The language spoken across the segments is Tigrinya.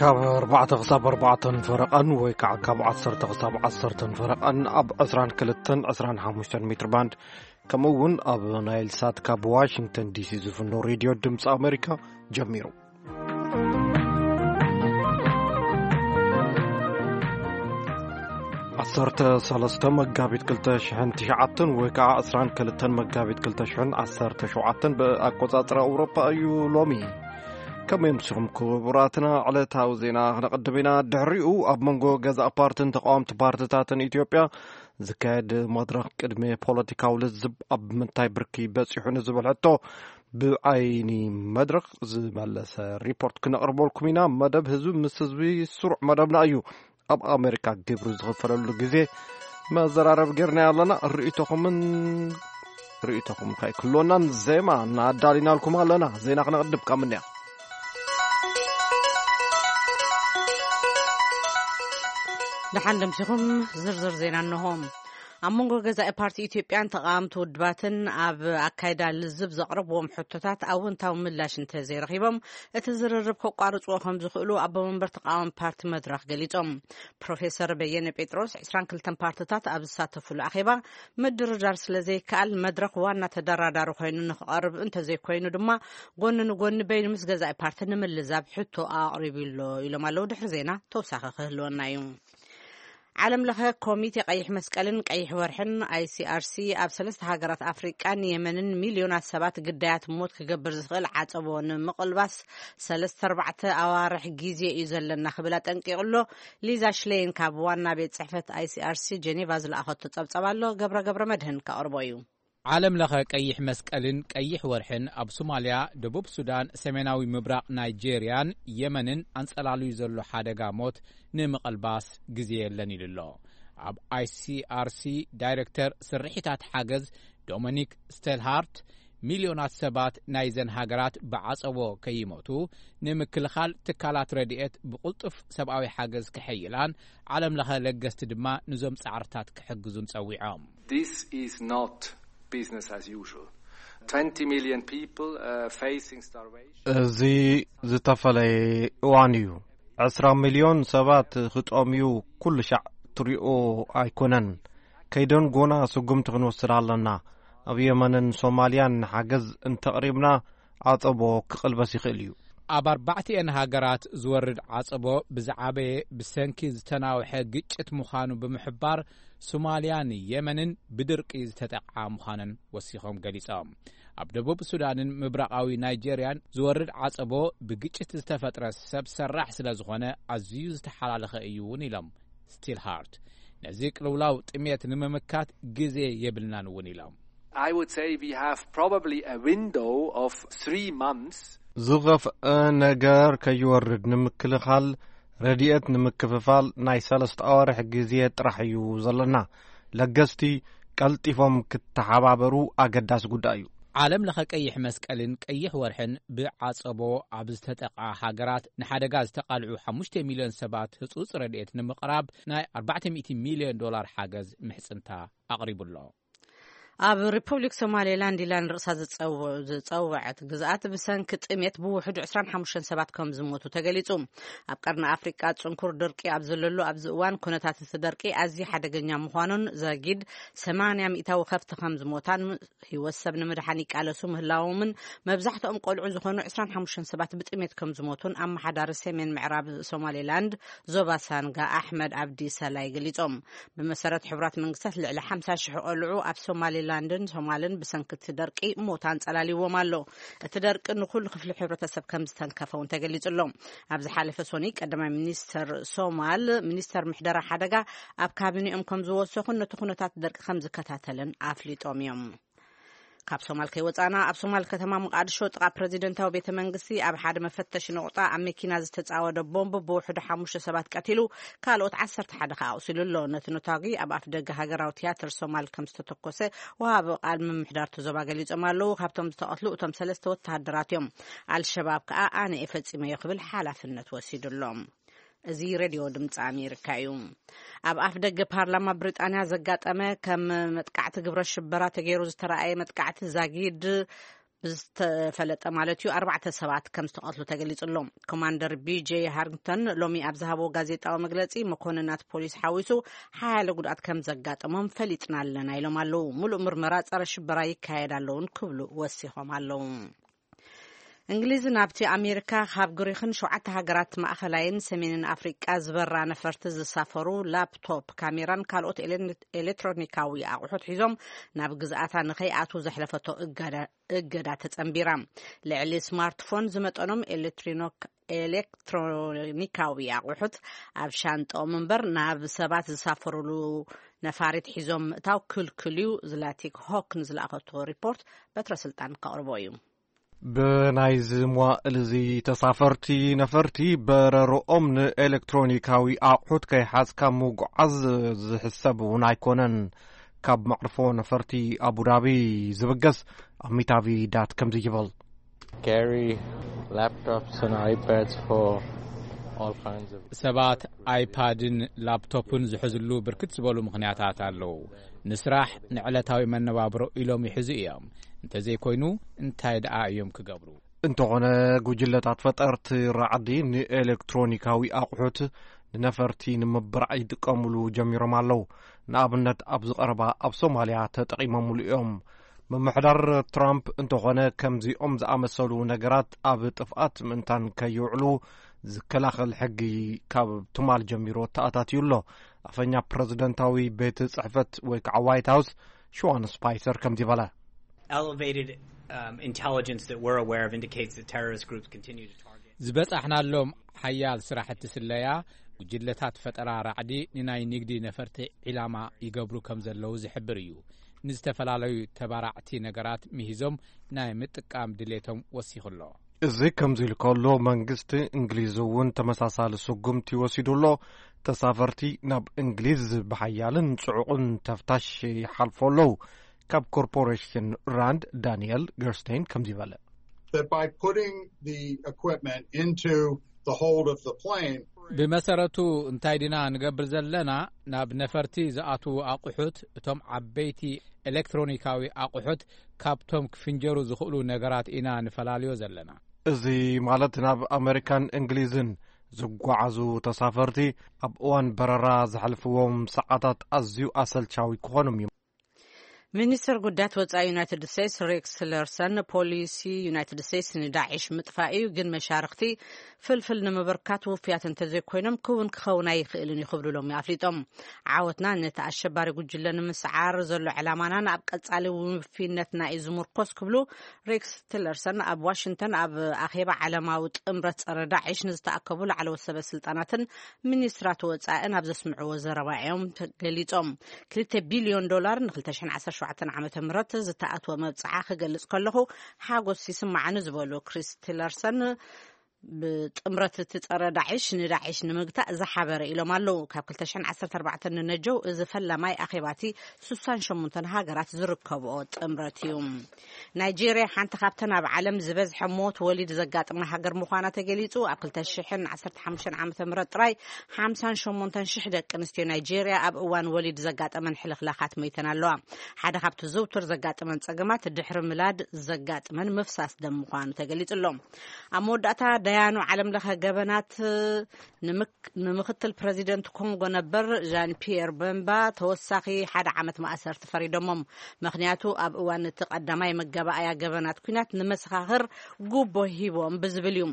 ካብ ኣርባዕተ ክሳብ ኣርባዕተን ፈረቓን ወይ ከዓ ካብ ዓሰርተ ክሳብ ዓሰርተን ፈረቓን ኣብ ዕስራን ክልተን ዕስራን ሓሙሽተን ሜትር ባንድ፣ ከምኡ እውን ኣብ ናይል ሳት ካብ ዋሽንግተን ዲሲ ዝፍኖ ሬድዮ ድምፂ ኣሜሪካ ጀሚሩ። ዓሰርተ ሰለስተ መጋቢት ክልተ ሽሕን ትሽዓተን ወይ ከዓ ዕስራን ክልተን መጋቢት ክልተ ሽሕን ዓሰርተ ሸውዓተን ብኣቆፃፅራ ኣውሮፓ እዩ ሎሚ። ከመይ ኣምሲኹም ክቡራትና? ዕለታዊ ዜና ክነቕድም ኢና። ድሕሪኡ ኣብ መንጎ ገዛእ ፓርትን ተቃወምቲ ፓርትታትን ኢትዮጵያ ዝካየድ መድረኽ ቅድሚ ፖለቲካዊ ልዝብ ኣብ ምንታይ ብርኪ በፂሑ ንዝብል ሕቶ ብዓይኒ መድረኽ ዝመለሰ ሪፖርት ክነቕርበልኩም ኢና። መደብ ህዝቢ ምስ ህዝቢ ስሩዕ መደብና እዩ። ኣብ ኣሜሪካ ግብሪ ዝኽፈለሉ ግዜ መዘራረብ ጌርና ኣለና። ርእይቶኹምን ርእይቶኹም ከይክልወናን ዜማ እናኣዳሊናልኩም ኣለና። ዜና ክነቕድም ካብ ምንያ። ደሓን ደምሲኹም። ዝርዝር ዜና እንሆ። ኣብ መንጎ ገዛኢ ፓርቲ ኢትዮጵያን ተቓወምቲ ውድባትን ኣብ ኣካይዳ ልዝብ ዘቕረብዎም ሕቶታት ኣወንታዊ ምላሽ እንተዘይረኺቦም፣ እቲ ዝርርብ ከቋርጽዎ ከም ዝኽእሉ ኣቦ መንበር ተቓዋሚ ፓርቲ መድረኽ ገሊጾም። ፕሮፌሰር በየነ ጴጥሮስ፣ ዕስራን ክልተን ፓርትታት ኣብ ዝሳተፉሉ ኣኼባ ምድርዳር ስለ ዘይከኣል፣ መድረኽ ዋና ተደራዳሪ ኮይኑ ንኽቐርብ እንተዘይኮይኑ ድማ፣ ጎኒ ንጎኒ በይኑ ምስ ገዛኢ ፓርቲ ንምልዛብ ሕቶ ኣቕሪቡ ኣሎ ኢሎም ኣለዉ። ድሕሪ ዜና ተወሳኺ ክህልወና እዩ። ዓለም ለኸ ኮሚቴ ቀይሕ መስቀልን ቀይሕ ወርሕን፣ ኣይሲኣርሲ፣ ኣብ ሰለስተ ሃገራት ኣፍሪቃን የመንን ሚልዮናት ሰባት ግዳያት ሞት ክገብር ዝኽእል ዓጸቦ ንምቕልባስ ሰለስተ ኣርባዕተ ኣዋርሕ ግዜ እዩ ዘለና ክብል ኣጠንቂቑ ኣሎ። ሊዛ ሽሌይን ካብ ዋና ቤት ጽሕፈት ኣይሲኣርሲ ጀኔቫ ዝለኣኸቶ ጸብጸብ ኣሎ። ገብረ ገብረ መድህን ከቕርቦ እዩ። ዓለም ለኸ ቀይሕ መስቀልን ቀይሕ ወርሕን ኣብ ሶማልያ፣ ደቡብ ሱዳን፣ ሰሜናዊ ምብራቕ ናይጄርያን የመንን ኣንጸላልዩ ዘሎ ሓደጋ ሞት ንምቕልባስ ግዜ የለን ኢሉ ኣሎ። ኣብ ኣይሲኣርሲ ዳይሬክተር ስርሒታት ሓገዝ ዶሚኒክ ስቴልሃርት፣ ሚልዮናት ሰባት ናይዘን ሃገራት ብዓጸቦ ከይሞቱ ንምክልኻል ትካላት ረድኤት ብቕልጡፍ ሰብኣዊ ሓገዝ ክሕይላን ዓለም ለኸ ለገስቲ ድማ ንዞም ጻዕርታት ክሕግዙን ጸዊዖም። This is not business as usual. Twenty million people, uh, facing starvation. እዚ ዝተፈለየ እዋን እዩ። ዕስራ ሚልዮን ሰባት ክጠምዩ ኩሉ ሻዕ ትሪኦ ኣይኮነን። ከይደን ጎና ስጉምቲ ክንወስድ ኣለና። ኣብ የመንን ሶማልያን ሓገዝ እንተቕሪብና ዓጸቦ ክቕልበስ ይኽእል እዩ። ኣብ ኣርባዕቲኤን ሃገራት ዝወርድ ዓጸቦ ብዝዓበየ ብሰንኪ ዝተናውሐ ግጭት ምዃኑ ብምሕባር፣ ሶማልያን የመንን ብድርቂ ዝተጠቕዓ ምዃነን ወሲኾም ገሊጾም። ኣብ ደቡብ ሱዳንን ምብራቓዊ ናይጄርያን ዝወርድ ዓጸቦ ብግጭት ዝተፈጥረ ሰብ ሰራሕ ስለ ዝኾነ ኣዝዩ ዝተሓላለኸ እዩ እውን ኢሎም ስቲልሃርት። ነዚ ቅልውላው ጥሜት ንምምካት ግዜ የብልናን እውን ኢሎም። I would say we have probably a window of three months. ዝኸፍአ ነገር ከይወርድ ንምክልኻል ረድኤት ንምክፍፋል ናይ ሰለስተ ኣዋርሕ ግዜ ጥራሕ እዩ ዘለና። ለገስቲ ቀልጢፎም ክተሓባበሩ ኣገዳሲ ጉዳይ እዩ። ዓለም ለኸ ቀይሕ መስቀልን ቀይሕ ወርሕን ብዓጸቦ ኣብ ዝተጠቓ ሃገራት ንሓደጋ ዝተቓልዑ ሓሙሽተ ሚልዮን ሰባት ህጹጽ ረድኤት ንምቕራብ ናይ ኣርባዕተ ሚእቲ ሚልዮን ዶላር ሓገዝ ምሕጽንታ ኣቕሪቡ ኣሎ። ኣብ ሪፐብሊክ ሶማሌላንድ ኢላ ንርእሳ ዝጸው-፣ ዝጸውዐት ግዝኣት ብሰንኪ ጥሜት ብውሕዱ ዕስራን ሓሙሽተን ሰባት ከም ዝሞቱ ተገሊጹ። ኣብ ቀርኒ ኣፍሪቃ ጽንኩር ድርቂ ኣብ ዘለሉ ኣብዚ እዋን፣ ኩነታት እቲ ደርቂ ኣዝዩ ሓደገኛ ምዃኑን፣ ዘጊድ ሰማንያ ሚእታዊ ከብቲ ከም ዝሞታን፣ ህይወት ሰብ ንምድሓን ይቃለሱ ምህላዎምን፣ መብዛሕትኦም ቆልዑ ዝኾኑ ዕስራን ሓሙሽተን ሰባት ብጥሜት ከም ዝሞቱን ኣመሓዳሪ ሰሜን ምዕራብ ሶማሌላንድ ዞባ ሳንጋ ኣሕመድ ኣብዲ ሰላይ ገሊጾም። ብመሰረት ሕቡራት መንግስታት፣ ልዕሊ ሓምሳ ሽሕ ቆልዑ ኣብ ሶማሌላንድን ሶማልን ብሰንኪ እቲ ደርቂ ሞት ኣንጸላልይዎም ኣሎ። እቲ ደርቂ ንኹሉ ክፍሊ ሕብረተሰብ ከም ዝተንከፈ እውን ተገሊጹ ኣሎ። ኣብ ዝሓለፈ ሶኒ፣ ቀዳማይ ሚኒስተር ሶማል፣ ሚኒስተር ምሕደራ ሓደጋ ኣብ ካቢኔኦም ከም ዝወሰኹን ነቲ ኩነታት ደርቂ ከም ዝከታተልን ኣፍሊጦም እዮም። ካብ ሶማል ከይወጻና፣ ኣብ ሶማል ከተማ ሞቃዲሾ ጥቓ ፕረዚደንታዊ ቤተ መንግስቲ ኣብ ሓደ መፈተሺ ነቑጣ ኣብ መኪና ዝተጻወደ ቦምብ ብውሕዱ ሓሙሽተ ሰባት ቀቲሉ፣ ካልኦት ዓሰርተ ሓደ ከኣ ኣቑሲሉ ኣሎ። ነቲ ነታጒ ኣብ ኣፍ ደገ ሃገራዊ ትያትር ሶማል ከም ዝተተኮሰ ወሃቢ ቃል ምምሕዳር እቲ ዞባ ገሊጾም ኣለዉ። ካብቶም ዝተቐትሉ እቶም ሰለስተ ወተሃደራት እዮም። ኣልሸባብ ከኣ ኣነ እየ ፈጺመዮ ክብል ሓላፍነት ወሲዱ ኣሎ። እዚ ሬድዮ ድምፂ ኣሜሪካ እዩ። ኣብ ኣፍ ደገ ፓርላማ ብሪጣንያ ዘጋጠመ ከም መጥቃዕቲ ግብረ ሽበራ ተገይሩ ዝተረኣየ መጥቃዕቲ ዛጊድ ብዝተፈለጠ ማለት እዩ፣ ኣርባዕተ ሰባት ከም ዝተቐትሉ ተገሊጹ ኣሎ። ኮማንደር ቢ ጄ ሃሪንግተን ሎሚ ኣብ ዝሃቦ ጋዜጣዊ መግለጺ፣ መኮንናት ፖሊስ ሓዊሱ ሓያለ ጉድኣት ከም ዘጋጠሞም ፈሊጥና ኣለና ኢሎም ኣለዉ። ምሉእ ምርመራ ጸረ ሽበራ ይካየድ ኣለውን ክብሉ ወሲኾም ኣለዉ። እንግሊዝ ናብቲ ኣሜሪካ ካብ ግሪኽን ሸውዓተ ሃገራት ማእኸላይን ሰሜንን ኣፍሪቃ ዝበራ ነፈርቲ ዝሳፈሩ ላፕቶፕ፣ ካሜራን ካልኦት ኤሌ-፣ ኤሌክትሮኒካዊ ኣቑሑት ሒዞም ናብ ግዝኣታ ንኸይኣትዉ ዘሕለፈቶ እገዳ፣ እገዳ ተጸንቢራ። ልዕሊ ስማርትፎን ዝመጠኖም ኤሌክትሪኖክ-፣ ኤሌክትሮኒካዊ ኣቑሑት ኣብ ሻንጣኦም እምበር ናብ ሰባት ዝሳፈሩሉ ነፋሪት ሒዞም ምእታው ክልክል እዩ። ዝላቲክ ሆክ ንዝለኣኸቶ ሪፖርት በትረ ስልጣን ከቕርቦ እዩ። ብናይዚ መዋእል እዚ ተሳፈርቲ ነፈርቲ በረርኦም ንኤሌክትሮኒካዊ ኣቑሑት ከይሓዝካ ምጉዓዝ ዝሕሰብ እውን ኣይኮነን። ካብ መዕርፎ ነፈርቲ ኣቡዳቢ ዝብገስ ኣሚታቪ ዳት ከምዚ ይብል። Carry laptops and iPads for all kinds of ሰባት ኣይፓድን ላፕቶፕን ዝሕዝሉ ብርክት ዝበሉ ምኽንያታት ኣለዉ። ንስራሕ፣ ንዕለታዊ መነባብሮ ኢሎም ይሕዙ እዮም። እንተዘይኮይኑ እንታይ ደኣ እዮም ክገብሩ? እንተኾነ፣ ጉጅለታት ፈጠርቲ ራዕዲ ንኤሌክትሮኒካዊ ኣቑሑት ንነፈርቲ ንምብራዕ ይጥቀሙሉ ጀሚሮም ኣለዉ። ንኣብነት፣ ኣብዚ ቀረባ ኣብ ሶማልያ ተጠቒሞምሉ እዮም። ምምሕዳር ትራምፕ እንተኾነ፣ ከምዚኦም ዝኣመሰሉ ነገራት ኣብ ጥፍኣት ምእንታን ከይውዕሉ ዝከላኸል ሕጊ ካብ ትማል ጀሚሩ ተኣታትዩ ኣሎ። ኣፈኛ ፕረዚደንታዊ ቤት ጽሕፈት ወይ ከዓ ዋይት ሃውስ ሽዋን ስፓይሰር ከምዚ በለ። Elevated, um, intelligence that we're aware of indicates that terrorist groups continue to target ዝበጻሕናሎም ሓያል ስራሕቲ ስለያ፣ ጉጅለታት ፈጠራ ራዕዲ ንናይ ንግዲ ነፈርቲ ዒላማ ይገብሩ ከም ዘለዉ ዝሕብር እዩ። ንዝተፈላለዩ ተባራዕቲ ነገራት ምሂዞም ናይ ምጥቃም ድሌቶም ወሲኹ ኣሎ። እዚ ከምዚ ኢሉ ከሎ፣ መንግስቲ እንግሊዝ እውን ተመሳሳሊ ስጉምቲ ወሲዱ ኣሎ። ተሳፈርቲ ናብ እንግሊዝ ብሓያልን ጽዑቕን ተፍታሽ ይሓልፎ ኣለዉ። ካብ ኮርፖሬሽን ራንድ ዳንኤል ገርስቴን ከምዚ በለ። That by putting the equipment into the hold of the plane, ብመሰረቱ እንታይ ዲና ንገብር ዘለና? ናብ ነፈርቲ ዝኣትዉ ኣቑሑት፣ እቶም ዓበይቲ ኤሌክትሮኒካዊ ኣቑሑት ካብቶም ክፍንጀሩ ዝኽእሉ ነገራት ኢና ንፈላልዮ ዘለና። እዚ ማለት ናብ ኣመሪካን እንግሊዝን ዝጓዓዙ ተሳፈርቲ ኣብ እዋን በረራ ዘሕልፍዎም ሰዓታት ኣዝዩ ኣሰልቻዊ ክኾኑ እዮም። ሚኒስትር ጉዳያት ወጻኢ ዩናይትድ ስቴትስ ሬክስ ቲለርሰን፣ ፖሊሲ ዩናይትድ ስቴትስ ንዳዒሽ ምጥፋእ እዩ፣ ግን መሻርኽቲ ፍልፍል ንምብርካት ውፍያት እንተዘይኮይኖም ክውን ክኸውን ኣይኽእልን እዩ ክብሉ ሎሚ ኣፍሊጦም። ዓወትና ነቲ ኣሸባሪ ጉጅለ ንምስዓር ዘሎ ዕላማናን ኣብ ቀጻሊ ውፍይነትና እዩ ዝምርኮስ ክብሉ ሬክስ ቲለርሰን ኣብ ዋሽንግተን ኣብ ኣኼባ ዓለማዊ ጥምረት ጸረ ዳዒሽ ንዝተኣከቡ ላዕለዎት ሰበ ስልጣናትን ሚኒስትራት ወጻእን ኣብ ዘስምዕዎ ዘረባ እዮም ገሊጾም። ክልተ ቢልዮን ዶላር ን ክልተ ሽሕን ዓሰርተ ሸውዓተን ዓመተ ምህረት ዝተኣትወ መብጽዓ ክገልጽ ከለኹ ሓጎስ ይስምዓኒ ዝበሉ ክሪስ ቲለርሰን፣ ብጥምረት እቲ ጸረ ዳዒሽ ንዳዒሽ ንምግታእ ዝሓበረ ኢሎም ኣለዉ። ካብ ክልተ ሽሕን ዓሰርተ ኣርባዕተን ንነጀው እዚ ፈላማይ ኣኼባቲ ስሳን ሸሞንተን ሃገራት ዝርከብኦ ጥምረት እዩ። ናይጄርያ ሓንቲ ካብተን ኣብ ዓለም ዝበዝሐ ሞት ወሊድ ዘጋጥማ ሃገር ምዃና ተገሊጹ። ኣብ ክልተ ሽሕን ዓሰርተ ሓሙሽተን ዓመተ ምህረት ጥራይ ሓምሳን ሸሞንተን ሽሕ ደቂ ኣንስትዮ ናይጄርያ ኣብ እዋን ወሊድ ዘጋጠመን ሕልኽላኻት ሞይተን ኣለዋ። ሓደ ካብቲ ዝውቱር ዘጋጥመን ጸገማት ድሕሪ ምላድ ዘጋጥመን ምፍሳስ ደም ምዃኑ ተገሊጹ ኣሎ። ኣብ መወዳእታ፣ ደያኑ ዓለም ለኸ ገበናት ንምክ-፣ ንምክትል ፕረዚደንት ኮንጎ ነበር ዣን ፒየር በምባ ተወሳኺ ሓደ ዓመት ማእሰርቲ ፈሪዶሞም። ምኽንያቱ፣ ኣብ እዋን እቲ ቀዳማይ መጋባእያ ገበናት ኲናት ንመሰኻኽር ጉቦ ሂቦም ብዝብል እዩ።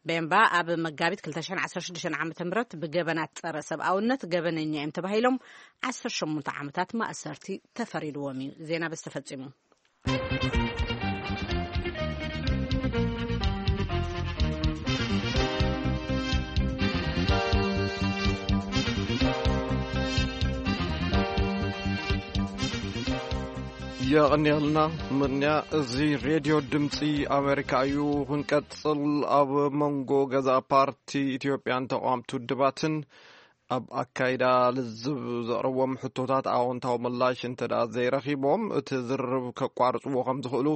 ቤምባ ኣብ መጋቢት ክልተ ሽሕን ዓሰርተ ሽዱሽተን ዓመተ ምህረት ብገበናት ጸረ ሰብኣውነት ገበነኛ እዮም ተባሂሎም ዓሰርተ ሸሞንተ ዓመታት ማእሰርቲ ተፈሪድዎም እዩ። ዜና በዚ ተፈጺሙ። የቐንየልና ምንያ። እዚ ሬድዮ ድምፂ ኣሜሪካ እዩ። ክንቀፅል፣ ኣብ መንጎ ገዛ ፓርቲ ኢትዮጵያን ተቃወምቲ ውድባትን ኣብ ኣካይዳ ልዝብ ዘቕረቦም ሕቶታት ኣዎንታዊ ምላሽ እንተ ደኣ ዘይረኺቦም፣ እቲ ዝርርብ ከቋርጽዎ ከም ዝኽእሉ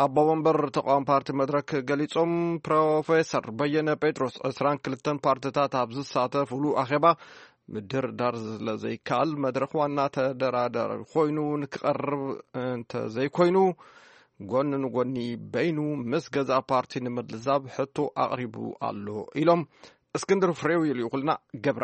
ኣቦ መንበር ተቃዋሚ ፓርቲ መድረክ ገሊጾም። ፕሮፌሰር በየነ ጴጥሮስ፣ ዕስራን ክልተን ፓርትታት ኣብ ዝሳተፉሉ ኣኼባ ምድርዳር ስለ ዘይከኣል፣ መድረኽ ዋና ተደራዳሪ ኮይኑ ንክቐርብ እንተ ዘይኮይኑ፣ ጎኒ ንጎኒ በይኑ ምስ ገዛእ ፓርቲ ንምልዛብ ሕቶ ኣቕሪቡ ኣሎ ኢሎም። እስክንድር ፍሬው ይልእኹልና። ገብረ።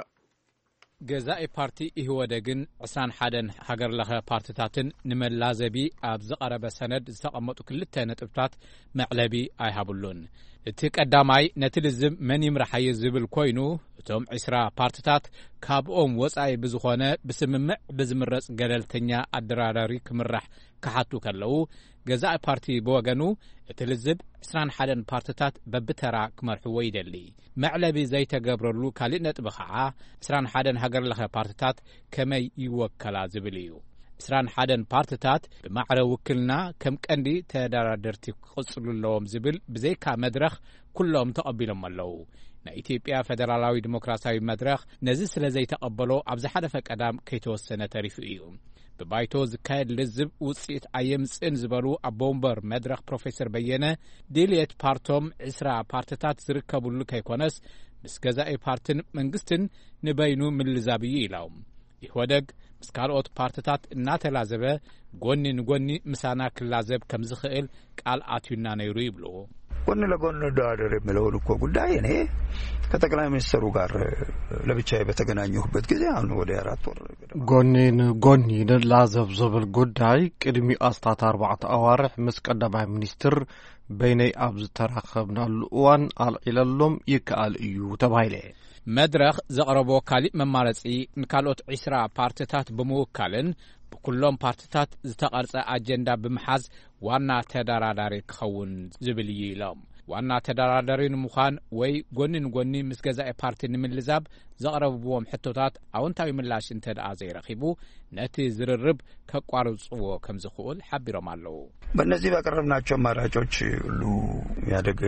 ገዛኢ ፓርቲ ኢህወደግን ዕስራን ሓደን ሃገር ለኸ ፓርትታትን ንመላዘቢ ኣብ ዝቐረበ ሰነድ ዝተቐመጡ ክልተ ነጥብታት መዕለቢ ኣይሃብሉን። እቲ ቀዳማይ፣ ነቲ ልዝብ መን ይምርሓዮ ዝብል ኮይኑ፣ እቶም ዕስራ ፓርትታት ካብኦም ወጻኢ ብዝኾነ ብስምምዕ ብዝምረጽ ገለልተኛ ኣደራዳሪ ክምራሕ ክሓቱ ከለዉ፣ ገዛኢ ፓርቲ ብወገኑ፣ እቲ ልዝብ ዕስራን ሓደን ፓርትታት በብተራ ክመርሕዎ ይደሊ። መዕለቢ ዘይተገብረሉ ካልእ ነጥቢ ኸዓ፣ ዕስራን ሓደን ሃገር ለኸ ፓርትታት ከመይ ይወከላ ዝብል እዩ። ዕስራን ሓደን ፓርትታት ብማዕረ ውክልና ከም ቀንዲ ተደራደርቲ ክቕጽሉ ኣለዎም ዝብል ብዘይካ መድረኽ ኩሎም ተቐቢሎም ኣለዉ። ናይ ኢትዮጵያ ፈደራላዊ ዲሞክራሲያዊ መድረኽ ነዚ ስለ ዘይተቐበሎ፣ ኣብ ዝሓለፈ ቀዳም ከይተወሰነ ተሪፉ እዩ። ብባይቶ ዝካየድ ልዝብ ውጽኢት ኣየምጽእን ዝበሉ ኣቦ ወንበር መድረኽ ፕሮፌሰር በየነ፣ ድልየት ፓርቶም ዕስራ ፓርትታት ዝርከብሉ ከይኮነስ፣ ምስ ገዛኢ ፓርትን መንግስትን ንበይኑ ምልዛብ እዩ ኢሎም። ኢህወደግ ምስ ካልኦት ፓርትታት እናተላዘበ፣ ጎኒ ንጎኒ ምሳና ክላዘብ ከም ዝኽእል ቃል ኣትዩና ነይሩ ይብሉ። ጎን ለጎን እንደራደር የሚለውን እኮ ጉዳይ እኔ ከጠቅላይ ሚኒስትሩ ጋር ለብቻዬ በተገናኘሁበት ጊዜ፣ አሁን ወደ አራት ወር ገደማ፣ ጎኒ ንጎኒ ንላዘብ ዝብል ጉዳይ ቅድሚ ኣስታት ኣርባዕተ ኣዋርሕ ምስ ቀዳማይ ሚኒስትር በይነይ ኣብ ዝተራኸብናሉ እዋን ኣልዒለሎም። ይከኣል እዩ ተባሂለ። መድረኽ ዘቕረቦ ካሊእ መማረጺ፣ ንካልኦት ዕስራ ፓርትታት ብምውካልን ብኩሎም ፓርትታት ዝተቐርጸ ኣጀንዳ ብምሓዝ ዋና ተደራዳሪ ክኸውን ዝብል እዩ ኢሎም። ዋና ተደራዳሪ ንምዃን ወይ ጎኒ ንጎኒ ምስ ገዛኢ ፓርቲ ንምልዛብ ዘቕረብዎም ሕቶታት ኣወንታዊ ምላሽ እንተ ደኣ ዘይረኺቡ፣ ነቲ ዝርርብ ከቋርጽዎ ከም ዝኽእል ሓቢሮም ኣለዉ። በእነዚህ ባቀረብናቸው አማራጮች ሁሉ ኢህአዴግ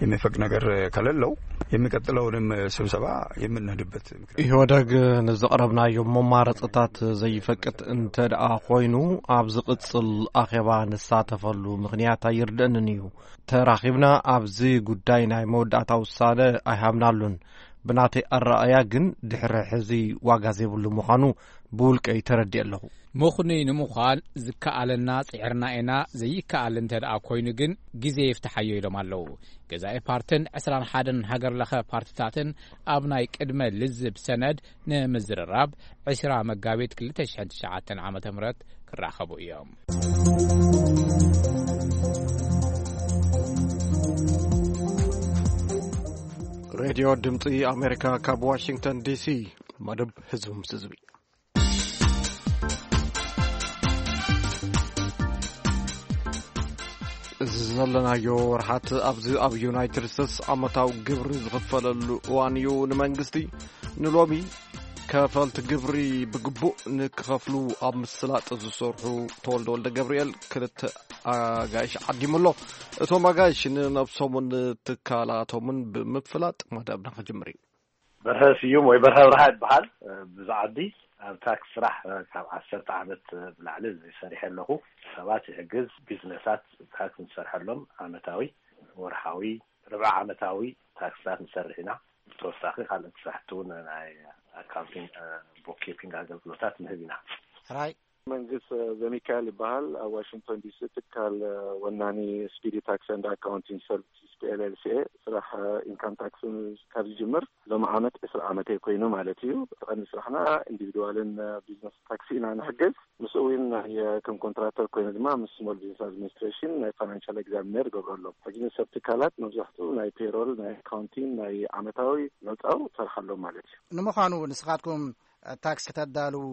የሚፈቅድ ነገር ከሌለው፣ የሚቀጥለውንም ስብሰባ የምንሄድበት ምክንያት ኢህወደግ ንዘቕረብናዮም መማረፅታት ዘይፈቅድ እንተ ደኣ ኮይኑ፣ ኣብ ዝቕፅል ኣኼባ ንሳተፈሉ ምኽንያት ኣይርድእንን እዩ። ተራኺብና ኣብዚ ጉዳይ ናይ መወዳእታ ውሳነ ኣይሃብናሉን። ብናተይ ኣረኣእያ ግን ድሕሪ ሕዚ ዋጋ ዘይብሉ ምዃኑ ብውልቀይ ተረዲእ ኣለኹ። ምኽኑይ ንምዃን ዝከኣለና ጽዒርና ኢና፣ ዘይከኣል እንተ ደኣ ኮይኑ ግን ግዜ ይፍትሓዮ ኢሎም ኣለዉ። ገዛኢ ፓርትን ዕስራን ሓደን ሃገር ለኸ ፓርትታትን ኣብ ናይ ቅድመ ልዝብ ሰነድ ንምዝርራብ ዕስራ መጋቢት ክልተ ሽሕን ትሽዓተን ዓመተ ምህረት ክራኸቡ እዮም። ሬድዮ ድምፂ ኣሜሪካ ካብ ዋሽንግተን ዲሲ፣ መደብ ህዝቢ ምስ ህዝቢ። እዚ ዘለናዮ ወርሓት ኣብዚ ኣብ ዩናይትድ ስቴትስ ዓመታዊ ግብሪ ዝኽፈለሉ እዋን እዩ። ንመንግስቲ ንሎሚ ከፈልቲ ግብሪ ብግቡእ ንክኸፍሉ ኣብ ምስላጥ ዝሰርሑ ተወልደ ወልደ ገብርኤል ክልተ ኣጋይሽ ዓዲሙ ኣሎ። እቶም ኣጋይሽ ንነብሶምን ትካላቶምን ብምፍላጥ መደብና ክጅምር እዩ። በርሀ ስዩም ወይ በርሀ ብርሃ ይበሃል። ብዝዓቢ ኣብ ታክስ ስራሕ ካብ ዓሰርተ ዓመት ብላዕሊ ሰሪሐ ኣለኹ። ሰባት ይሕግዝ፣ ቢዝነሳት ታክስ ንሰርሐሎም፣ ዓመታዊ፣ ወርሓዊ፣ ርብዓ ዓመታዊ ታክስታት ንሰርሕ ኢና። ብተወሳኺ ካልኦት ስራሕቲ እውን ናይ ኣካውንቲንግ፣ ቡክኪፒንግ ኣገልግሎታት ንህብ ኢና። ሕራይ። መንግስ ዘሚካኤል ይበሃል። ኣብ ዋሽንግቶን ዲሲ ትካል ወናኒ ስፒዲ ታክስ ኤንድ ኣካውንቲንግ ሰርቪስስ ፒ ኤል ኤል ሲ ኤ ስራሕ ኢንካም ታክስ ካብ ዝጅምር ሎሚ ዓመት ዕስራ ዓመተይ ኮይኑ ማለት እዩ። ቀንዲ ስራሕና ኢንዲቪድዋልን ቢዝነስ ታክሲ ኢና ንሕግዝ። ምስኡ እውን ናይ ከም ኮንትራክተር ኮይኑ ድማ ምስ ስሞል ቢዝነስ ኣድሚኒስትሬሽን ናይ ፋይናንሻል ኤግዛሚነር ይገብረሎም። ሕጂ ንሰብ ትካላት መብዛሕትኡ ናይ ፔሮል፣ ናይ ኣካውንቲንግ፣ ናይ ዓመታዊ መውፃኡ ሰርሓሎም ማለት እዩ። ንምዃኑ ንስኻትኩም ታክስ ክተዳልዉ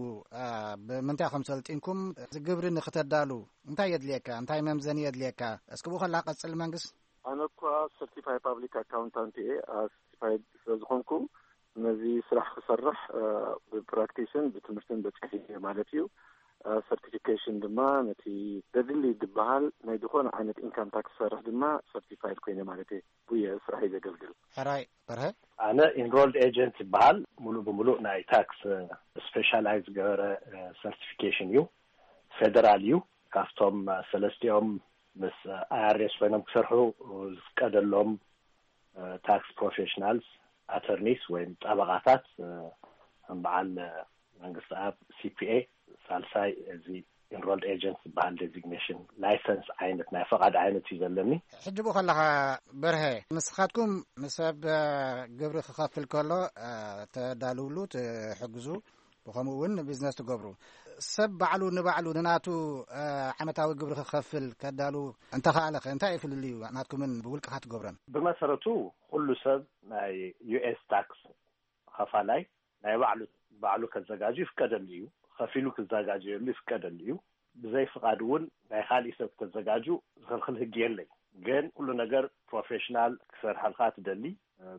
ብምንታይ ከም ሰልጢንኩም፣ እዚ ግብሪ ንክተዳሉ እንታይ የድልየካ? እንታይ መምዘኒ የድልየካ? እስኪ ብኡ ከላ ቀጽል መንግስ። ኣነ እኳ ሰርቲፋይ ፓብሊክ ኣካውንታንት እየ። ሰርቲፋይድ ስለ ዝኾንኩ ነዚ ስራሕ ክሰርሕ ብፕራክቲስን ብትምህርትን በፂሐ ማለት እዩ። ሰርቲፊኬሽን ድማ ነቲ ዘድሊ ዝበሃል ናይ ዝኾነ ዓይነት ኢንካም ታክስ ዝሰርሕ ድማ ሰርቲፋይድ ኮይነ ማለት እዩ። ብየ ስራሕ እዩ ዘገልግል። ሕራይ በርሀ። ኣነ ኢንሮልድ ኤጀንት ይበሃል። ሙሉእ ብሙሉእ ናይ ታክስ ስፔሻላይዝ ዝገበረ ሰርቲፊኬሽን እዩ። ፌደራል እዩ። ካብቶም ሰለስቲኦም ምስ ኣይኣርኤስ ኮይኖም ክሰርሑ ዝፍቀደሎም ታክስ ፕሮፌሽናልስ፣ ኣተርኒስ ወይም ጠበቓታት፣ ከም በዓል መንግስቲ ኣብ ሲፒኤ፣ ሳልሳይ እዚ ኢንሮልድ ኤጀንት ዝበሃል ዴዚግኔሽን ላይሰንስ ዓይነት ናይ ፈቓድ ዓይነት እዩ ዘለኒ። ሕጂ ብኡ ከለኻ በርሀ፣ ንስኻትኩም ንሰብ ግብሪ ክኸፍል ከሎ ተዳልውሉ ትሕግዙ፣ ብኸምኡ እውን ቢዝነስ ትገብሩ። ሰብ ባዕሉ ንባዕሉ ንናቱ ዓመታዊ ግብሪ ክኸፍል ከዳሉ እንተኸኣለኸ እንታይ እዩ ፍልልዩ ናትኩምን ብውልቅኻ ትገብረን? ብመሰረቱ ኩሉ ሰብ ናይ ዩኤስ ታክስ ኸፋላይ ናይ ባዕሉ ባዕሉ ከዘጋጁ ይፍቀደሉ እዩ። ከፊሉ ክዘጋጀየሉ ይፍቀደሉ እዩ። ብዘይ ፍቓድ እውን ናይ ካሊእ ሰብ ክተዘጋጁ ዝኽልኽል ህጊ የለይ። ግን ኩሉ ነገር ፕሮፌሽናል ክሰርሐልካ ትደሊ።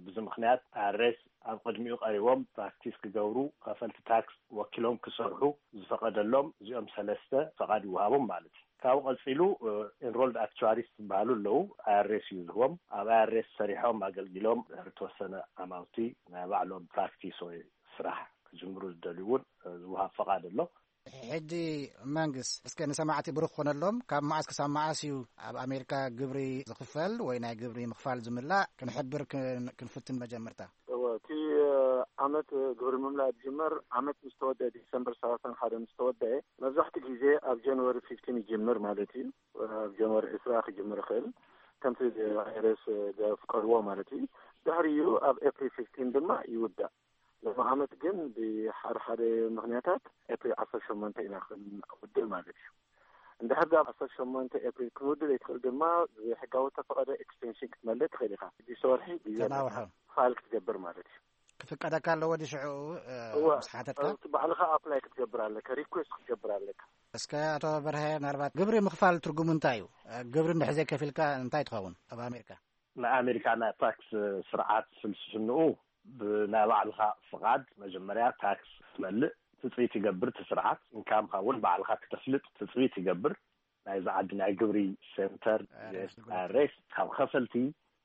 ብዚ ምኽንያት ኣሬስ ኣብ ቅድሚኡ ቀሪቦም ፕራክቲስ ክገብሩ፣ ከፈልቲ ታክስ ወኪሎም ክሰርሑ ዝፈቐደሎም እዚኦም ሰለስተ ፈቓድ ይወሃቦም ማለት እዩ። ካብኡ ቀፂሉ ኢንሮልድ ኣክቹዋሪስ ዝበሃሉ ኣለዉ። ኣይኣርኤስ እዩ ዝህቦም። ኣብ ኣይኣርኤስ ሰሪሖም ኣገልጊሎም ድሕሪ ተወሰነ ኣማውቲ ናይ ባዕሎም ፕራክቲስ ወይ ስራሕ ክጅምሩ ዝደልዩ እውን ዝወሃብ ፈቓድ ኣሎ። ሕጂ መንግስት እስከ ንሰማዕቲ ብሩኽ ኮነሎም፣ ካብ መዓስ ክሳብ መዓስ እዩ ኣብ ኣሜሪካ ግብሪ ዝኽፈል ወይ ናይ ግብሪ ምኽፋል ዝምላእ ክንሕብር ክን- ክንፍትን መጀመርታ። እወ፣ እቲ ዓመት ግብሪ ምምላእ ዝጅመር ዓመት ምስ ተወደአ፣ ዲሰምበር ሰላሳን ሓደ ምስ ተወደአ፣ መብዛሕትኡ ግዜ ኣብ ጃንዋሪ ፊፍቲን ይጅምር ማለት እዩ። ኣብ ጃንዋሪ ዕስራ ክጅምር ይኽእል፣ ከምቲ ኣይኣርኤስ ዘፍቀድዎ ማለት እዩ። ድሕሪኡ ኣብ ኤፕሪል ፊፍቲን ድማ ይውዳእ። ሎሚ ዓመት ግን ብሓደ ሓደ ምኽንያታት ኤፕሪል ዓሰርተ ሸሞንተ ኢና ክንውድእ ማለት እዩ። እንድሕር ዳ ዓሰርተ ሸሞንተ ኤፕሪል ክንውድእ ዘይትኽእል ድማ ብሕጋዊ ተፈቐደ ኤክስቴንሽን ክትመልእ ትኽእል ኢኻ። ሽዱሽተ ወርሒ ብዘበለ ተናውሖ። ፋይል ክትገብር ማለት እዩ። ክፍቀደካ ኣለዎ ድዩ ሽዑ፣ እ፣ እወ፣ ምስ ሓተትካ? እቲ ባዕልኻ ኣፕላይ ክትገብር ኣለካ፣ ሪኩዌስት ክትገብር ኣለካ። እስከ ኣቶ በርሀ፣ ምናልባት ግብሪ ምኽፋል ትርጉሙ እንታይ እዩ? ግብሪ እንድሕር ዘይከፊልካ እንታይ ትኸውን ኣብ ኣሜሪካ? ናይ ኣሜሪካ ናይ ታክስ ስርዓት ፍልስፍንኡ ብናይ ባዕልኻ ፍቓድ መጀመርያ ታክስ ትመልእ፣ ትፅቢት ይገብር እቲ ስርዓት። ኢንካምካ እውን ባዕልኻ ክተፍልጥ ትፅቢት ይገብር። ናይዚ ዓዲ ናይ ግብሪ ሴንተር፣ ሬስ፣ ሬስ ካብ ከፈልቲ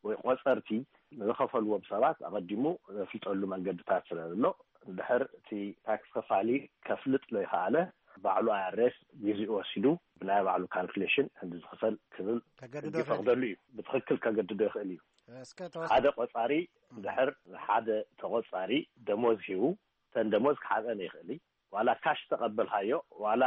ወይ ቆፀርቲ ንዝኸፈልዎም ሰባት ኣቐዲሙ ዘፍልጠሉ መንገድታት ስለ ዘሎ፣ እንድሕር እቲ ታክስ ከፋሊ ከፍልጥ ዘይከኣለ፣ ባዕሉ ኣይኣርኤስ ግዜኡ ወሲዱ ብናይ ባዕሉ ካልኩሌሽን እንዲ ዝኽፈል ክብል ከገድዶ ሕጊ ይኽእል። ይፈቕደሉ እዩ። ብትኽክል ከገድዶ ይኽእል እዩ። እስከ ተወስ- ሓደ ቆጻሪ፣ እንድሕር ንሓደ ተቆጻሪ ደሞዝ ሂቡ፣ እተን ደሞዝ ክሓፀን ይኽእል እዩ። ዋላ ካሽ ተቐበልካዮ፣ ዋላ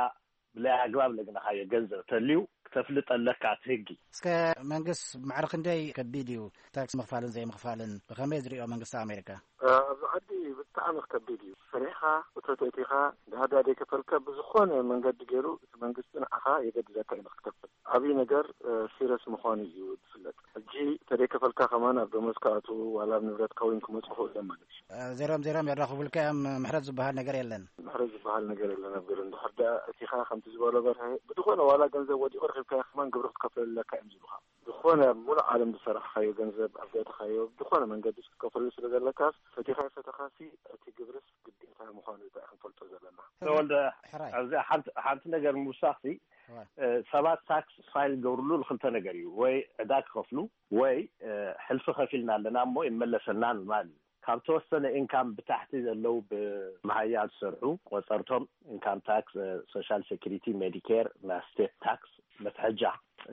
ብላይ ኣግባብ ለግነኻዮ ገንዘብ ተልዩ ክተፍልጥ ኣለካ እቲ ህጊ። እስከ መንግስት ማዕረ ክንደይ ከቢድ እዩ ታክስ ምኽፋልን ዘይምኽፋልን? ብኸመይ ዝሪኦ መንግስቲ ኣሜሪካ? ኣብዚ ዓዲ ብጣዕሚ ከቢድ እዩ። ሰሪሕኻ እቶት ኣእቲኻ፣ ድሓር ደኣ ዘይከፈልካ ብዝኾነ መንገዲ ገይሩ እቲ መንግስቲ ንዓኻ የገድደካ እዩ ንክትከፍል። ዓብዪ ነገር፣ እ፣ ሲረስ ምዃኑ እዩ ዝፍለጥ። ሕጂ ተደይከፈልካ ከማን ኣብ ደሞዝካ ኣትዉ ዋላ ኣብ ንብረትካ እውን ክመፁ ይኽእሉ እዮም ማለት እዩ። እ፣ ዜሮም ዜሮም የራኽቡልካ እዮም፣ ምሕረት ዝበሃል ነገር የለን። ምሕረት ዝበሃል ነገር የለን ኣብ ገለ። እንድሕር ደኣ ኣእቲኻ ከምቲ ዝበሎ በርሀ፣ ብዝኾነ ዋላ ገንዘብ ወዲቑ ረኺብካዮ ከማን ግብሪ ክትከፍለለካ እዮም ዝብሉኻ። ዝኾነ ኣብ ሙሉእ ዓለም ዝሰራሕኻዮ ገንዘብ ኣብ ዘእተኻዮ ብዝኾነ መንገዲ ክትከፍለሉ ስለ ዘለካስ፣ ፈቲኻ ኣይፈተኻሲ እቲ ግብርስ ግዴታ ምዃኑ እዩ ክንፈልጦ ዘለና። ተወልደ፣ ሕራይ። ኣብዚ ሓንቲ፣ ሓንቲ ነገር ምውሳኽሲ፣ እዋ። እ፣ ሰባት ታክስ ፋይል ዝገብርሉ ንክልተ ነገር እዩ። ወይ ዕዳ ክኸፍሉ፣ ወይ፣ እ፣ ሕልፊ ከፊልና ኣለና እሞ ይመለሰልና ምባል እዩ። ካብ ተወሰነ ኢንካም ብታሕቲ ዘለዉ ብመሃያ ዝሰርሑ ቆጸርቶም ኢንካም ታክስ፣ እ፣ ሶሻል ሴኩሪቲ፣ ሜዲኬር፣ ናይ ስቴት ታክስ መትሐጃ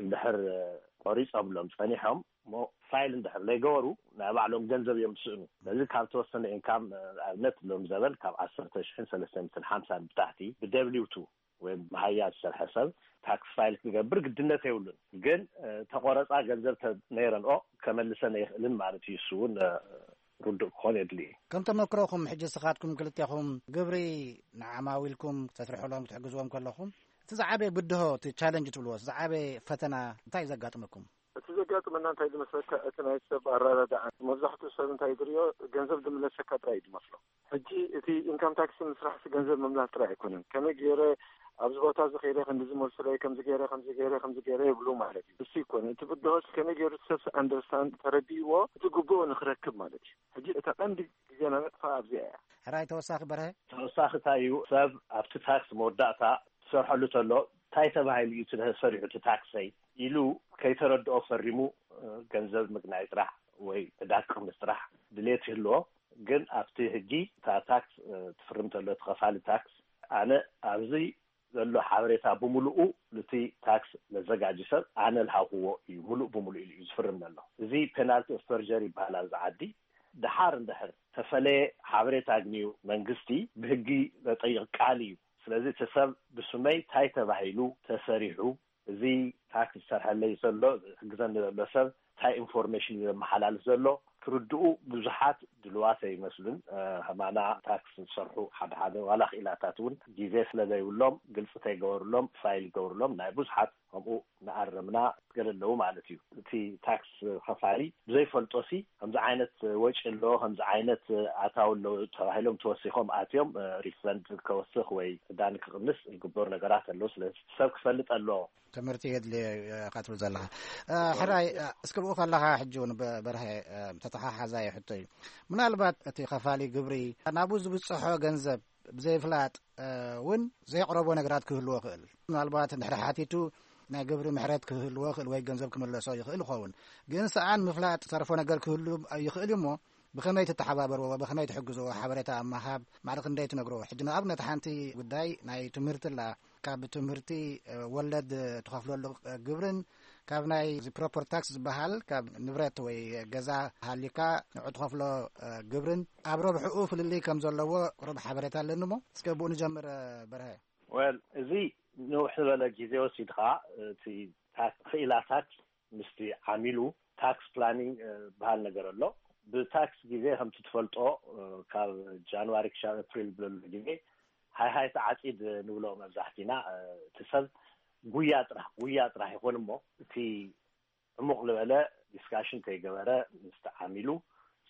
እንድሕር፣ እ፣ ቆሪጾምሎም ጸኒሖም እሞ ፋይል እንድሕር ዘይገበሩ ናይ ባዕሎም ገንዘብ እዮም ዝስእኑ። ስለዚ ካብ ተወሰነ ኢንካም፣ እ፣ ኣብነት ሎም ዘበን ካብ ዓሰርተ ሽሕን ሰለስተ ሚእትን ሓምሳን ብታሕቲ ብደብሊው ቱ ወይ መሃያ ዝሰርሐ ሰብ ታክስ ፋይል ክገብር ግድነት የብሉን። ግን፣ እ፣ ተቆረፃ ገንዘብ ተ-፣ ነይረንኦ ከመልሰን ኣይኽእልን ማለት እዩ። እሱ እውን፣ እ፣ ርዱእ ክኾን የድሊ እዩ። ከም ተመክሮኹም ሕጂ ንስኻትኩም ክልቴኹም ግብሪ ንዓማዊልኩም ተስርሕሎም ክትሕግዝዎም ከለኹም እቲ ዝዓበየ ብድሆ፣ እቲ ቻለንጅ ትብልዎ፣ እቲ ዝዓበየ ፈተና እንታይ እዩ ዘጋጥመኩም? እቲ ዘጋጥመና እንታይ ዝመስለካ፣ እቲ ናይ ሰብ ኣረዳድኣ፣ መብዛሕትኡ ሰብ እንታይ ዝሪኦ፣ ገንዘብ ዝምለሰካ ጥራይ እዩ ዝመስሎ። ሕጂ እቲ ኢንካም ታክስ ምስራሕሲ ገንዘብ ምምላስ ጥራይ ኣይኮነን። ከመይ ገይረ ኣብዚ ቦታ እዚ ከይደ ከምዚ ዝመልሱለይ፣ ከምዚ ገይረ፣ ከምዚ ገይረ፣ ከምዚ ገይረ ይብሉ ማለት እዩ። እሱ ይኮነ። እቲ ብድሆስ ከመይ ገይሩ እቲ ሰብሲ ኣንደርስታንድ ተረዲእዎ እቲ ግቡኡ ንክረክብ ማለት እዩ። ሕጂ እታ ቀንዲ ግዜና ነጥፋ ኣብዚኣ እያ። ሕራይ ተወሳኺ በርሀ? ተወሳኺ እንታይ እዩ? ሰብ ኣብቲ ታክስ መወዳእታ ትሰርሐሉ ተሎ እንታይ ተባሂሉ እዩ እቲ ተሰሪሑ እቲ ታክሰይ ኢሉ ከይተረድኦ ፈሪሙ፣ እ፣ ገንዘብ ምግናይ ጥራሕ ወይ ዕዳ ክቕንስ ጥራሕ ድሌት ይህልዎ። ግን ኣብቲ ህጊ እታ ታክስ፣ እ፣ ትፍርም ተሎ እቲ ከፋሊ ታክስ ኣነ ኣብዚ ዘሎ ሓበሬታ ብምሉኡ ነቲ ታክስ መዘጋጂ ሰብ ኣነ ልሃብክዎ እዩ፣ ምሉእ ብምሉእ ኢሉ እዩ ዝፍርም ዘሎ። እዚ ፔናልቲ ኦፍ ፐርጀሪ ይበሃል ኣብዚ ዓዲ። ደሓር እንድሕር ተፈለየ ሓበሬታ ኣግንዩ መንግስቲ ብህጊ ዘጠይቕ ቃል እዩ። ስለዚ እቲ ሰብ ብስመይ እንታይ ተባሂሉ ተሰሪሑ፣ እዚ ታክስ ዝሰርሐለይ ዘሎ፣ ዝሕግዘኒ ዘሎ ሰብ እንታይ ኢንፎርሜሽን እዩ ዘመሓላልፍ ዘሎ፣ ክርድኡ ብዙሓት ድልዋት ኣይመስሉን። ከማና ታክስ ዝሰርሑ ሓደ ሓደ ዋላ ክኢላታት እውን ግዜ ስለ ዘይብሎም ግልፂ ተይገበርሎም ፋይል ይገብርሎም። ናይ ብዙሓት ከምኡ እናኣረምና ገለ ኣለዉ ማለት እዩ። እቲ ታክስ ከፋሊ ብዘይፈልጦ ሲ ከምዚ ዓይነት ወጪ ኣሎ፣ ከምዚ ዓይነት ኣታዊ ኣሎ ተባሂሎም ተወሲኾም ኣትዮም ሪፈንድ ከወስኽ ወይ ዕዳኒ ክቕንስ ዝግበሩ ነገራት ኣለዉ። ስለዚ ሰብ ክፈልጥ ኣለዎ። ትምህርቲ የድልዮ። ካትብል ዘለኻ ሕራይ እስክብኡ ከለኻ ሕጂ እውን በርሀ ተተሓሓዛየ ሕቶ እዩ። ምናልባት እቲ ከፋሊ ግብሪ ናብኡ ዝብፅሖ ገንዘብ ብዘይፍላጥ እውን ዘየቕረቦ ነገራት ክህልዎ ክእል። ምናልባት እንድሕሪ ሓቲቱ ናይ ግብሪ ምሕረት ክህልዎ ክእል ወይ ገንዘብ ክምለሶ ይኽእል ይኸውን። ግን ሰኣን ምፍላጥ ተርፎ ነገር ክህሉ ይኽእል እዩ። እሞ ብኸመይ ትተሓባበርዎ፣ ብኸመይ ትሕግዝዎ? ሓበሬታ ኣብ ምሃብ ማዕረ ክንደይ ትነግርዎ? ሕጂ ንኣብነት ሓንቲ ጉዳይ ናይ ትምህርቲ ኣላ። ካብ ትምህርቲ ወለድ ትኸፍለሉ ግብርን ካብ ናይ ፕሮፐር ታክስ ዝበሃል ካብ ንብረት ወይ ገዛ ሃሊካ ንዑ ትኸፍሎ ግብርን ኣብ ረብሕኡ ፍልልይ ከም ዘለዎ ቁሩብ ሓበሬታ ኣለኒ። እሞ እስከ ብኡ ንጀምር። በርሀ። ወል እዚ ንውሕ ዝበለ ግዜ ወሲድካ እቲ ክኢላታት ምስቲ ዓሚሉ ታክስ ፕላኒንግ በሃል ነገር ኣሎ። ብታክስ ግዜ ከምቲ ትፈልጦ ካብ ጃንዋሪ ክሻብ ኣፕሪል ብለሎ ግዜ ሃይ ሃይ ተዓፂድ ንብሎ መብዛሕቲና። እቲ ሰብ ጉያ ጥራሕ ጉያ ጥራሕ ይኾን እሞ እቲ ዕሙቕ ዝበለ ዲስካሽን ከይገበረ ምስቲ ዓሚሉ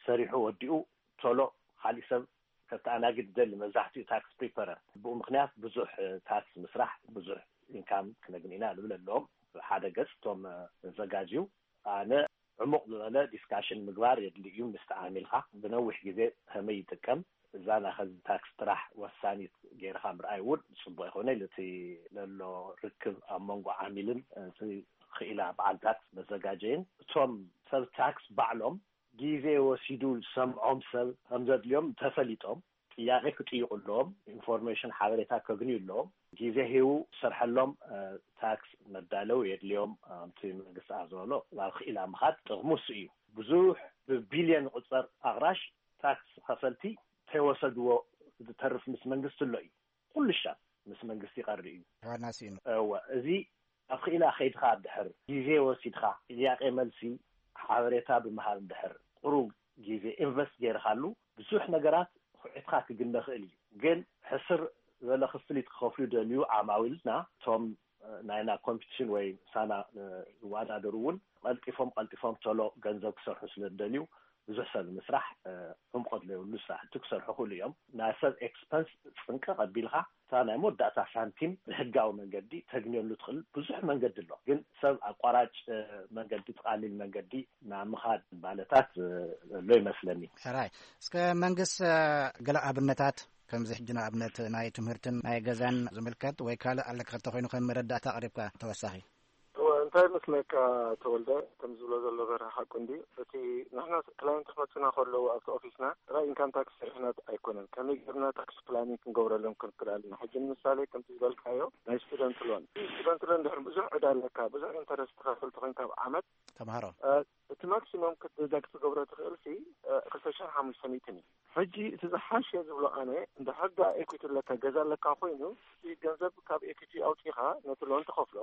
ሰሪሑ ወዲኡ ቶሎ ካሊእ ሰብ ከተኣናግድ ይደሊ። መብዛሕቲኡ ታክስ ፕሪፐረር ብኡ ምክንያት ብዙሕ ታክስ ምስራሕ ብዙሕ ኢንካም ክነግኒ ኢና ንብል ኣለዎም። ሓደ ገፅ እቶም ዘጋጅዩ ኣነ ዕሙቕ ዝበለ ዲስካሽን ምግባር የድሊ እዩ። ምስ ተዓሚልካ ብነዊሕ ግዜ ከመይ ይጥቀም እዛ ናኸዚ ታክስ ጥራሕ ወሳኒት ገይርካ ምርኣይ እውን ፅቡቅ ይኮነ ኢሉ እቲ ለሎ ርክብ ኣብ መንጎ ዓሚልን እቲ ክኢላ በዓል ታክስ መዘጋጀይን እቶም ሰብ ታክስ ባዕሎም ግዜ ወሲዱ ዝሰምዖም ሰብ ከም ዘድልዮም ተፈሊጦም ጥያቄ ክጥይቁ ኣለዎም። ኢንፎርሜሽን ሓበሬታ ከግንዩ ኣለዎም። ግዜ ሂቡ ዝሰርሐሎም ታክስ መዳለው የድልዮም። ከምቲ መንግስቲ ኣብ ዝበሎ ናብ ክኢላ ምኻድ ጥቕሙ እሱ እዩ። ብዙሕ ብቢልዮን ዝቑፀር ኣቕራሽ ታክስ ከፈልቲ ተይወሰድዎ ዝተርፍ ምስ መንግስቲ ኣሎ እዩ። ኩሉ ሻብ ምስ መንግስቲ ይቐሪ እዩ። ዋና ስኢኑ። እወ፣ እዚ ኣብ ክኢላ ከይድካ ድሕር ግዜ ወሲድካ ጥያቄ መልሲ ሓበሬታ ብምሃብ ድሕር ቁሩብ ግዜ ኢንቨስት ገይርካሉ ብዙሕ ነገራት ኩዒትካ ክግነ ክእል እዩ። ግን ሕስር ዝበለ ክፍሊት ክኸፍሉ ደልዩ ዓማዊልና እቶም ናይና ኮምፒቲሽን ወይ ሳና ዝወዳደሩ እውን ቀልጢፎም ቀልጢፎም ቶሎ ገንዘብ ክሰርሑ ስለ ዝደልዩ ብዙሕ ሰብ ንምስራሕ ዕምቆት ዘይብሉ ስራሕቲ ክሰርሑ ክእሉ እዮም። ናይ ሰብ ኤክስፐንስ ፅንቀቕ ኣቢልካ እታ ናይ መወዳእታ ሳንቲም ብሕጋዊ መንገዲ ተግንየሉ ትኽእል ብዙሕ መንገዲ ኣሎ። ግን ሰብ ኣቋራጭ መንገዲ ትቃሊል መንገዲ ናብ ምኻድ ባለታት ዘሎ ይመስለኒ። ሕራይ እስከ መንግስት ገለ ኣብነታት ከምዚ ሕጂ ንኣብነት ናይ ትምህርትን ናይ ገዛን ዝምልከት ወይ ካልእ ኣለካ እንተኾይኑ ከም መረዳእታ ኣቕሪብካ ተወሳኺ። እወ፣ እንታይ መስለካ ተወልደ፣ ከም ዝብሎ ዘሎ በርሀ ሓቁ እንዲ እቲ ንሕና ክላይንት ክመፁና ከለዉ ኣብቲ ኦፊስና ጥራይ ኢንካም ታክስ ስርሕና ኣይኮነን፣ ከመይ ጌርና ታክስ ፕላኒንግ ክንገብረሎም ክንክእል ኣለና። ሕጂ ንምሳሌ ከምቲ ዝበልካዮ ናይ ስቱደንት ሎን፣ ስቱደንት ሎን ድሕሪ ብዙሕ ዕዳ ኣለካ፣ ብዙሕ ኢንተረስት ትኸፍል ተኾይንካ ኣብ ዓመት ተምሃሮ እቲ ማክሲመም ክትደዳግ ትገብሮ ትኽእል ሲ ክልተ ሽሕን ሓሙሽተ ሚእትን እዩ። ሕጂ እቲ ዝሓሸ ዝብሎ ኣነ እንደ ሕጋ ኤኩቲ ኣለካ ገዛ ኣለካ ኮይኑ እቲ ገንዘብ ካብ ኤኩቲ ኣውፂኻ ነቲ ሎን ትኸፍሎ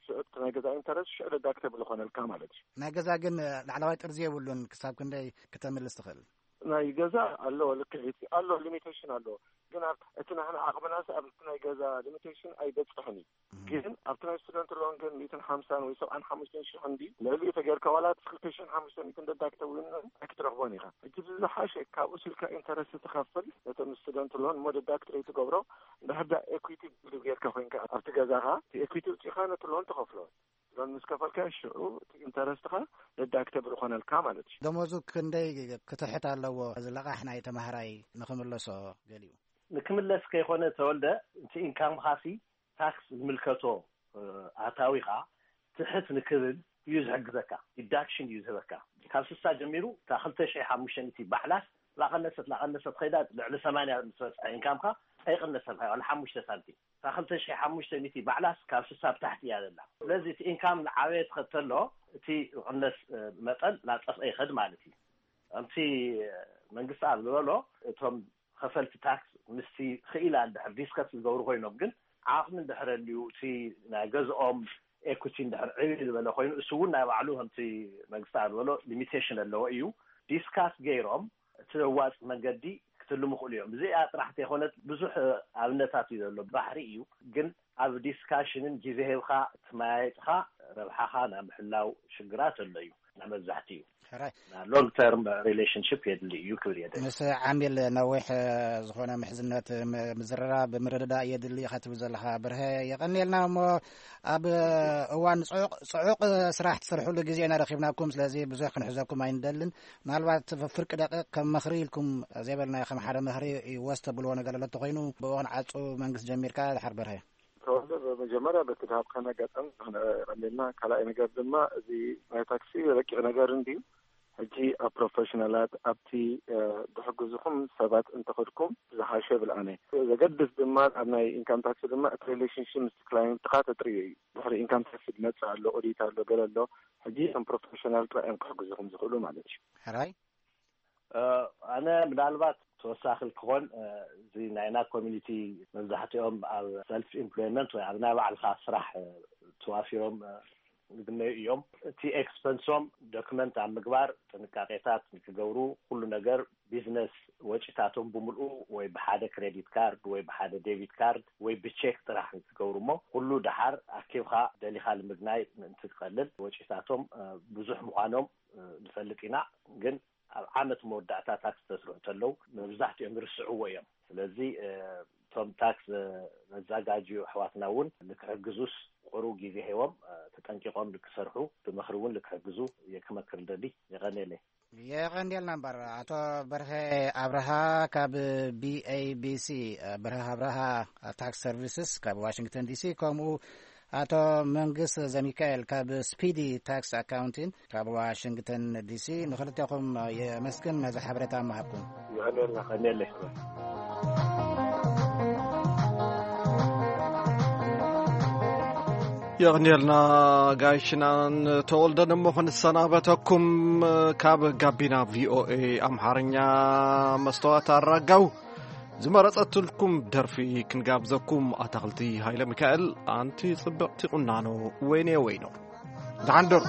ሽዑ እቲ ናይ ገዛ ኢንተረስት ሽዑ ደዳክተብል ይኾነልካ ማለት እዩ። ናይ ገዛ ግን ላዕለዋይ ጥርዚ የብሉን። ክሳብ ክንደይ ክተምልስ ትኽእል? ናይ ገዛ ኣለዎ ልክዒት ኣሎ ሊሚቴሽን ኣለዎ። ግን ኣብ እቲ ናህና ዓቕምናስ ኣብ እቲ ናይ ገዛ ሊሚቴሽን ኣይበፅሕን እዩ። ግን ኣብቲ ናይ ስቱደንት ሎን ግን ሚእትን ሓምሳን ወይ ሰብዓን ሓሙሽተን ሽሕ እንዲ ልዕሊኡ ተጌርካ ዋላ እቲ ክልተ ሽሕን ሓሙሽተ ሚእትን ደዳክተብል ክትረኽቦን ኢኻ። ሕጂ ዝሓሸ ካብኡ ስልካ ኢንተረስት ትኸፍል ነቶም ስቱደንት ሎን እሞ ደዳክት ትገብሮ እንድሕር ዳ ኤኩቲ ቢልድ ጌርካ ኮይንካ ኣብቲ ገዛኻ እቲ ኤኩቲ ውፂኻ ነቲ ሎን ትኸፍሎ። ሎን ምስ ከፈልካ ሽዑ እቲ ኢንተረስትኻ ደዳክተብል ይኾነልካ ማለት እዩ። ደሞዙ ክንደይ ክትሕት ኣለዎ? እዚ ለቓሕ ናይ ተማሃራይ ንኽምለሶ ገሊኡ ንክምለስ ከይኾነ ተወልደ እቲ ኢንካምኻሲ ታክስ ዝምልከቶ ኣታዊኻ ትሕት ንክብል እዩ ዝሕግዘካ። ዲዳክሽን እዩ ዝህበካ። ካብ ስሳ ጀሚሩ እታ ክልተ ሽሕ ሓሙሽተ ሚእቲ ባዕላስ ላቐነሰት ላቐነሰት ኸይዳ ልዕሊ ሰማንያ ምስ በፅሐ ኢንካምካ ኣይቕነሰልካ ዋላ ሓሙሽተ ሳንቲም። እታ ክልተ ሽሕ ሓሙሽተ ሚእቲ ባዕላስ ካብ ስሳ ብታሕቲ እያ ዘላ። ስለዚ እቲ ኢንካም ንዓበየ ትኸተሎ እቲ ዝቕነስ መጠን ናፀፍአ ይኸድ ማለት እዩ። ከምቲ መንግስቲ ኣብ ዝበሎ እቶም ከፈልቲ ታክስ ምስቲ ክኢላ እንድሕር ዲስከስ ዝገብሩ ኮይኖም፣ ግን ዓቕሚ እንድሕር ኣልዩ፣ እቲ ናይ ገዝኦም ኤኩቲ እንድሕር ዕብይ ዝበለ ኮይኑ፣ እሱ እውን ናይ ባዕሉ ከምቲ መንግስቲ ዝበሎ ሊሚቴሽን ኣለዎ እዩ። ዲስካስ ገይሮም እቲ ዘዋፅ መንገዲ ክትልሙ ይኽእሉ እዮም። እዚኣ ጥራሕ ተይኮነት ብዙሕ ኣብነታት እዩ ዘሎ፣ ባሕሪ እዩ። ግን ኣብ ዲስካሽንን ግዜ ሂብካ ትመያየጥካ ረብሓኻ ናይ ምሕላው ሽግራት ኣሎ እዩ። ናይ መብዛሕትኡ ሕራይ። ሎንግ ተርም ሪሌሽንሽፕ የድሊ እዩ ክብል እየ። ምስ ዓሚል ነዊሕ ዝኾነ ምሕዝነት፣ ምዝርራብ፣ ምርድዳእ የድሊ ኢኻ ትብል ዘለኻ ብርሀ፣ የቐንየልና። እሞ ኣብ እዋን ጽዑቕ ጽዑቕ ስራሕ ትሰርሕሉ ግዜ ኢና ረኺብናኩም። ስለዚ ብዙሕ ክንሕዘኩም ኣይንደልን። ምናልባት ፍርቂ ደቂቕ ከም ምኽሪ ኢልኩም ዘይበልናዮ፣ ከም ሓደ ምኽሪ ይወስ ተብልዎ ነገር ኣሎ ተኾይኑ፣ ብእዋን ዓጹ መንግስቲ ጀሚርካ ድሓር በርሀ። ተወልደ፣ ብመጀመርያ በቲ ድሃብካና ኣጋጣሚ ንኽንቐንየልና፣ ካልኣይ ነገር ድማ እዚ ናይ ታክሲ ረቂቕ ነገር እንድዩ። ሕጂ ኣብ ፕሮፌሽናላት፣ ኣብቲ ድሕግዙኹም ሰባት እንተኸድኩም ዝሓሸ ብልኣነ። ዘገድስ ድማ ኣብ ናይ ኢንካም ታክሲ ድማ እቲ ሪሌሽንሽፕ ምስ ክላይንትካ ተጥርዮ እዩ። ድሕሪ ኢንካም ታክሲ ዝመጽእ ኣሎ፣ ኦዲት ኣሎ፣ ገለ ኣሎ። ሕጂ እቶም ፕሮፌሽናል ጥራይ እዮም ክሕግዙኹም ዝኽእሉ ማለት እዩ። ሕራይ። ኣነ ምናልባት ተወሳኺ ክኾን፣ እዚ ናይና ኮሚኒቲ መብዛሕትኦም ኣብ ሰልፍ ኢምፕሎይመንት ወይ ኣብ ናይ ባዕልኻ ስራሕ ተዋፊሮም ዝግነዩ እዮም። እቲ ኤክስፐንሶም ዶክመንት ኣብ ምግባር ጥንቃቄታት ንክገብሩ፣ ኩሉ ነገር ቢዝነስ ወጪታቶም ብምልኡ ወይ ብሓደ ክሬዲት ካርድ ወይ ብሓደ ዴቢት ካርድ ወይ ብቼክ ጥራሕ ክገብሩ እሞ፣ ኩሉ ደሓር ኣኪብካ ደሊኻ ንምግናይ ምእንቲ ትቀልል ወጪታቶም ብዙሕ ምዃኖም ንፈልጥ ኢና። ግን ኣብ ዓመት መወዳእታ ታክስ ተስርሑ ተለው መብዛሕትኦም ይርስዕዎ እዮም። ስለዚ እቶም ታክስ መዛጋጅዩ ኣሕዋትና እውን ንክሕግዙስ ቁሩብ ግዜ ሂቦም ተጠንቂቆም ንክሰርሑ ብምኽሪ እውን ንክሕግዙ እየ ክመክር ደሊ። የቐንየለይ። የቐንየልና እምበር። ኣቶ በርሀ ኣብርሃ ካብ ቢኤቢሲ፣ በርሀ ኣብርሃ ታክስ ሰርቪስስ ካብ ዋሽንግተን ዲሲ፣ ከምኡ ኣቶ መንግስ ዘሚካኤል ካብ ስፒዲ ታክስ ኣካውንቲን ካብ ዋሽንግተን ዲሲ፣ ንክልቴኹም የመስግን ነዚ ሓበሬታ ምሃብኩም። ይቐንየልና። ቀንየለይ። የቕንየልና ጋይሽናን ተወልደን። እሞ ክንሰናበተኩም ካብ ጋቢና ቪኦኤ ኣምሓርኛ፣ መስተዋት ኣራጋው ዝመረጸትልኩም ደርፊ ክንጋብዘኩም። ኣታኽልቲ ሃይለ ሚካኤል፣ ኣንቲ ጽብቕቲ ቁናኖ፣ ወይኔ ወይኖ። ደሓን ደሩ።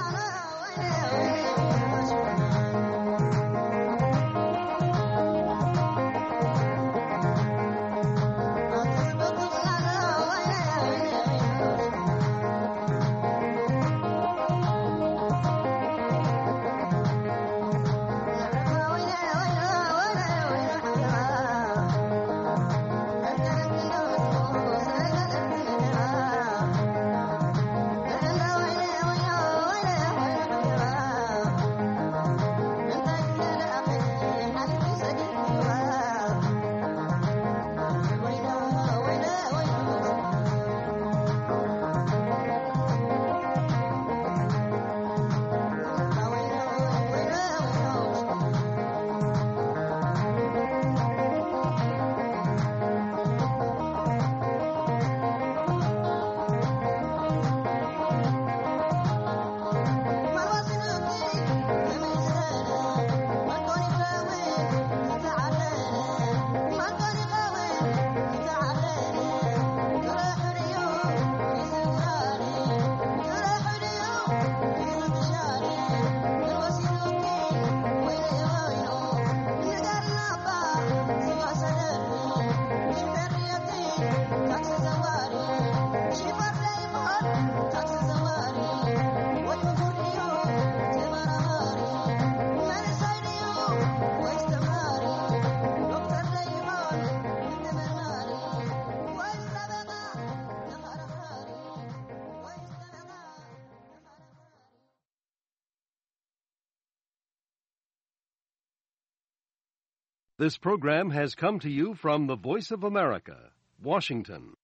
This program has come to you from the Voice of America, Washington.